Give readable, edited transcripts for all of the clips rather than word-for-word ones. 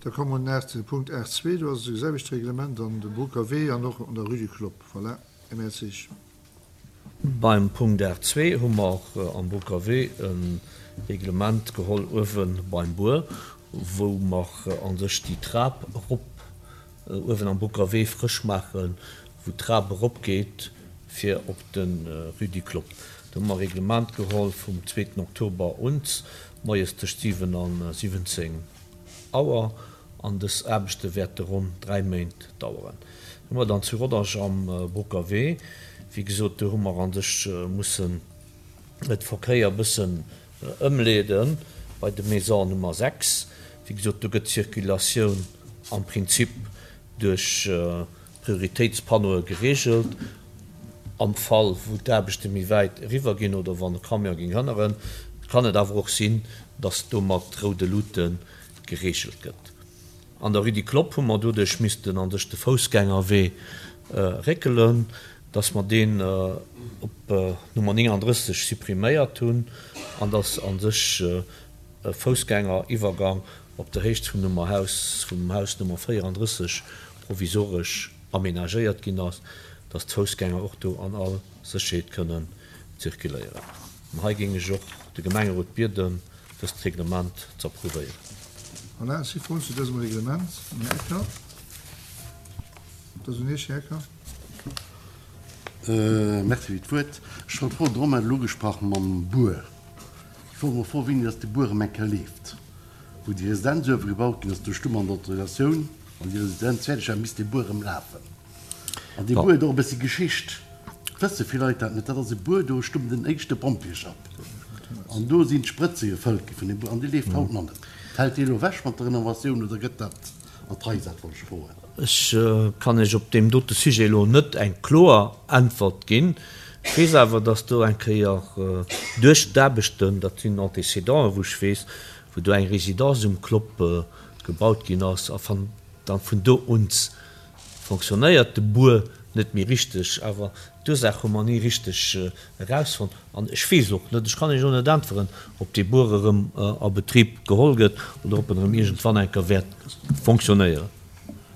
Da komme mer nach zu Punkt 8.2. Do ass et selwecht Reglement an de Broucker Wee an och an der Rue du Clopp. Voilà. Här Mertzig. Beim Punkt 8.2 hu mer am Broucker Wee e Reglement geholl uewe beim Buer, wou mer a sech déi Trap erop uewen am Broucker Wee frësch maachen, wou d'Trap eropgeet fir op de Rue du Clopp. Do hu mer e Reglement geholl vum zweeten Oktober un, moies tëscht 7 a 17 Auer an dës Aarbechte wäerte ronn 3 Méint daueren. Hu mer dann zu Rodange am Broucker Wee, wéi gesot, do hu mer a sech mussen de Verkéier e bëssen ëmleede bei de Maison Nummer 6. Wéi gesot, do gëtt d'Circulatioun am Prinzip duerch Prioritéitspannoe gereegelt. Am Fall wou d'Aarbechte méi wäit eriwwer ginn oder wann e Camion géing hënneren, kann et awer och sinn, datt do mat roude Luute gereegelt gëtt. An der Rue du Clopp hu mer doduerch missten an sech de Foussgängerwee réckelen, datt mer deen op Nummer 39 suppriméiert hunn an datt a sech e Foussgängeriwwergang op der Héicht vum Nummer Haus, vum Haus Nummer 34 provisoresch aménagéiert ginn ass, dass d'Foussgänger och do an all Sécherheet kënnen zirkuléieren. An hei géing ech och de Gemengerot bieden, dëst Reglement z'approuvéieren. Voilà, et si Froen zu dësem Reglement. Den Här Ecker. Et ass un Iech, Här Ecker. Merci fir d'Wuert. Ech wollt froen, de Romain huet elo ugesprach mam Buer. Ech wollt mol froen, wéini dass de Buer erëm eng Kéier leeft. Wou déi Residenz uewe gebaut ginn ass, do stu mer an der Autorisatioun, wann déi Residenz fäerdeg war, misst dee Buer erëm lafen. An dee Buer huet och e bëssi Geschicht. Et wësse vill Leit dat net. Dat ass e Buer, do stung den éischte Pompjeeschapp. An do sinn d'Sprëtze gefëllt gi vun deem Buer. An dee leeft haut nach net. Fält dee elo ewech mat der Renovatioun oder gëtt dat an d'Rei gesat, wollt ech froen. Ech kann Iech op deem dote Sujet elo net eng kloer Äntwert ginn. Ech weess awer, dass do eng Kéier duerch d'Aarbechten, dat sinn Antécédenten, wou ech weess, wou do eng Résidence um Clopp gebaut ginn ass a dann vun do un fonctionnéiert de Buer net méi richteg. Awer d'Ursaach hu mer ni richteg erausfonnt an ech weess och net, ech kann Iech elo net äntweren, ob dee Buer erëm a Betrib geholl gëtt oder ob en erëm iergendwann eng Kéier wäert fonctionnéieren.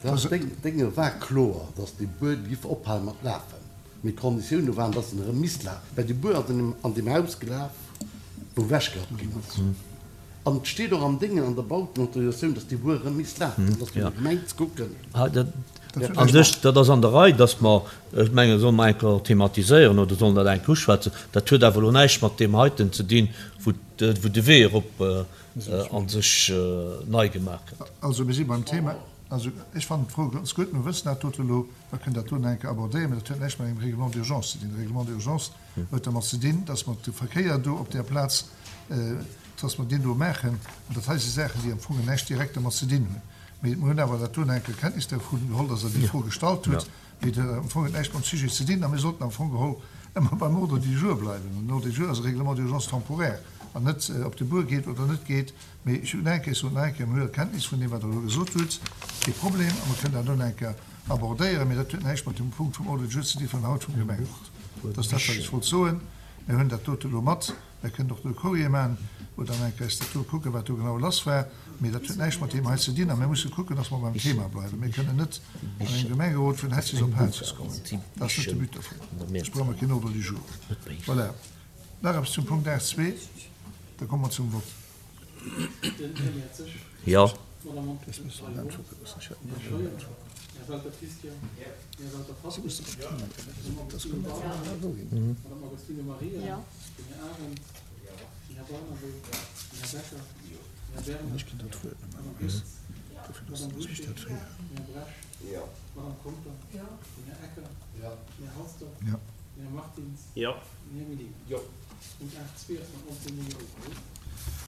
Dat Dénge war kloer, datt dee Buer giff ophale mat lafen. Mee d'Konditioune waren, dass en erëm misst lafen, well de Buer ass an deem Haus gelaf, wou ewechgerappt ginn ass. An et steet och am Déngen, an der Bautenautorisatioun, dass dee Buer erëm misst lafen. Dat ass fir der Gemeng ze kucken. A sech, dat ass an der Rei, dass mer, ech mengen, solle mer eng Kéier thematiséieren oder sollen dat eng Kéier uschwätzen. Dat huet awer elo näischt mat deem heiten ze dinn, wou de Wee erop a sech nei gemaach gëtt. Also, mir si beim Thema. Also, ech fannen d'Fro ganz gutt. Mir wëssen dat dote elo. Mer kënnen dat do nach eng Kéier abordéieren, mä dat huet näischt mat engem Règlement d'urgence ze dinn. De Règlement d'urgence huet dermat ze dinn, dass mer de Verkéier do op där Plaz, dass mer deen do maachen. An dat hei si Saachen, déi am Fong näischt direkt dermat ze dinn hunn. Mee mer hunn awer dat do nach eng Kéier Kenntnis dervun geholl, dass Der déi Fro gestallt hutt. Mee dat huet am Fong näischt mam Sujet ze dinn. A mir sollten am Fong geholl ëmmer beim Ordre du jour bleiwen. An den Ordre du jour ass e Règlement d'urgence temporaire an net, ob de Buer geet oder net geet. Mee ech hunn nach eng Kéier, ech soen nach eng Kéier, mir huele Kenntnis vun deem, wat Der elo gesot hutt, kee Problem, a mer kënnen dat elo nach eng Kéier abordéieren. Mee dat huet näischt mat dem Punkt vum Ordre du jour ze di vun haut vum Gemengerot. Dat ass dat, wat ech wollt soen. Mir hunn dat dote elo mat. Mir kënnen och do e Courrier maachen, wou dann eng Kéier eis dat do kucken, wat do genau lass war. Mee dat huet näischt mat deem hei ze dinn. A mir musse kucken, dass mer beim Thema bleiwen. Mir kënnen net an engem Gemengerot vun Hetzes op Hatzes kommen. Dat ass net de But dovun. Ech brauch mer keen Ordre du jour. Voilà. Nach eppes zum Punkt 8.2? Da komme mer zum Vott. Jo.